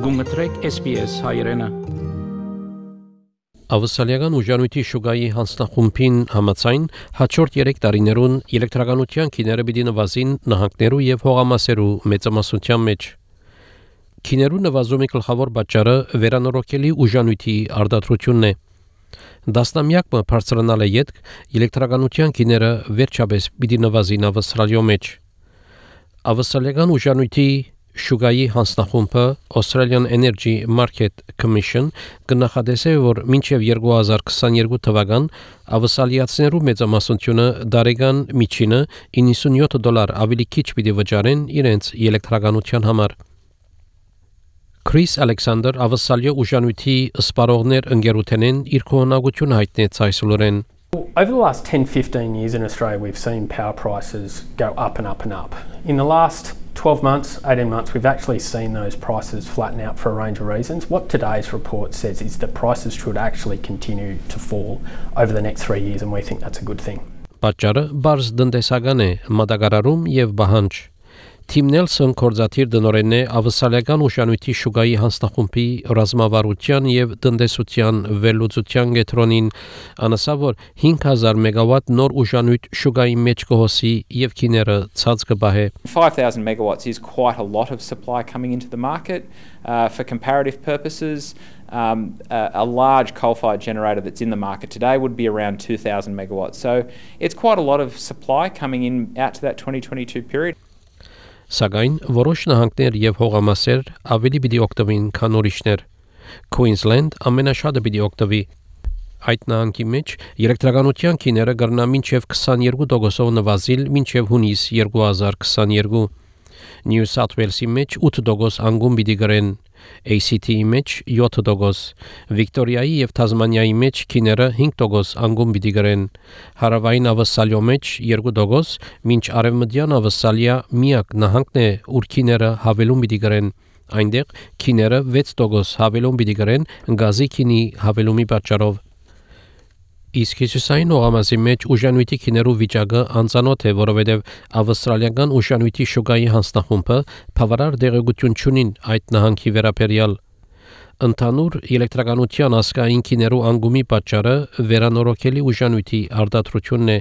Գումտրեք SPS հայրենը։ Ավստրալիական ուժանույթի շուկայի հանձնախումբին համաձայն հաջորդ 3 տարիներուն էլեկտրականության քիները պիտի նվազին նահանգներու եւ հողամասերու մեծամասնության մեջ։ Քիներու նվազումի գլխավոր պատճառը վերանորոգելի ուժանույթի արտադրությունն է։ Դասնամյակը բարձրանալ է յետք էլեկտրականության քիները վերջապես պիտի նվազին Ավստրալիո մեջ։ Ավստրալիական ուժանույթի շուկայի հանձնախումբը Australian Energy Market Commission կնախադեսե, որ մինչև 2022 թվական ավստրալիացիներու մեծամասնությունը դարեգան միջինը $97 ավելի քիչ պիտի վճարեն իրենց էլեկտրականության համար։ Chris Alexander ավստրալիա ուժանույթի սպառողներ ընկերութենեն իր կողմնակությունը հայտնեց այսօրեն։ Over the last 10-15 years in Australia, we've seen power prices go up and up and up. In the last 12 months, 18 months, we've actually seen those prices flatten out for a range of reasons. What today's report says is that prices should actually continue to fall over the next 3 years, and we think that's a good thing. Պատճառը բարձ տնտեսական է, մատակարարում եւ բահանջ։ Թիմ Նելսոն կորզաթիր դնորենն է ավստրալիական ուժանույթի շուկայի հանձնախումբի ռազմավարության եւ տնտեսության վերլուծության կենտրոնին անասա, որ 5000 մեգավատ նոր ուժանույթ շուկայի մեջ կհոսի եւ քիները ցած կբահե։ 5,000 megawatts is quite a lot of supply coming into the market. For comparative purposes, a large coal-fired generator that's in the market today would be around 2,000 megawatts. So it's quite a lot of supply coming in out to that 2022 period. Սակայն որոշ նահանգներ եւ հողամասեր ավելի պիտի օգտվին, քան ուրիշներ։ Queensland ամենաշատը պիտի օգտվի։ Այդ նահանգի մեջ էլեկտրականության քիները կգրնա մինչև 22% նվազիլ մինչև հունիս 2022։ New South Wales-ի մեջ 8% անկում պիտի գրեն, ACT-ի մեջ 7%, Վիկտորիայի եւ Թազմանիայի մեջ քիները 5% անկում պիտի գրեն, Հարավային Ավստրալիո մեջ 2%, մինչ Արևմտյան Ավստրալիա միակ նահանգն է, ուր քիները հավելում պիտի գրեն, այնտեղ քիները 6% հավելում պիտի գրեն գազի քինի հավելումի պատճառով։ Իսկ հյուսիսային օղամասի մեջ ուժանույթի քիներու վիճակը անծանոթ է, որովհետև ավստրալիական ուժանույթի շուկայի հանձնախումբը բավարար դեղեցություն չունի այդ նահանգի վերաբերյալ։ Ընդհանուր էլեկտրականության ասկային քիներու անկումի պատճառը վերանորոգելի ուժանույթի արտադրությունն է։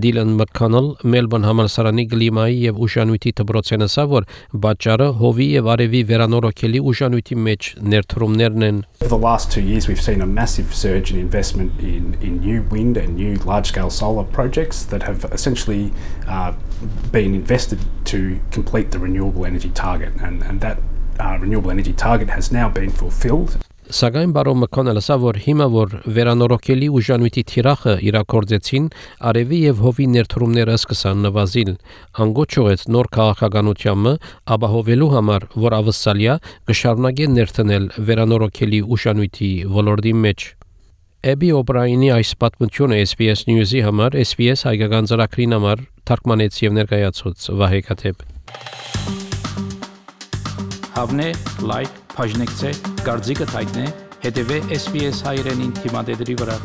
Դիլան Մաքքոնել Մելբոurne համալսարանի կլիմայի եւ ուժանույթի դպրոցեն ասա, որ պատճառը հովի եւ արևի վերանորոգելի ուժանույթի մեջ ներդրումներն են։ For the last 2 years, we've seen a massive surge in investment in new wind and new large-scale solar projects that have essentially been invested to complete the renewable energy target, and that renewable energy target has now been fulfilled. Սակայն բարոն Մաքքոնելը ասա, որ հիմա որ վերանորոգելի ուժանույթի թիրախը իրակորձեցին, արևի եւ հովի ներդրումները սկսան նվազիլ։ Անգոչողեց նոր քաղաքականությունը ապահովելու համար, որ Ավստրալիա կշարունակի ներդնել վերանորոգելի ուժանույթի ոլորտի մեջ։ Էբի Օբրայինի այս պատմությունը SBS News-ի համար SBS հայկական ծրագրին համար թարգմանեց եւ ներկայացուց Վահե Քաթեփ։ Հավնե, լայք, բաժնեկցե, դարձիկը թայտնե, հետեւե SBS հայրենին թիմադեդի վրա։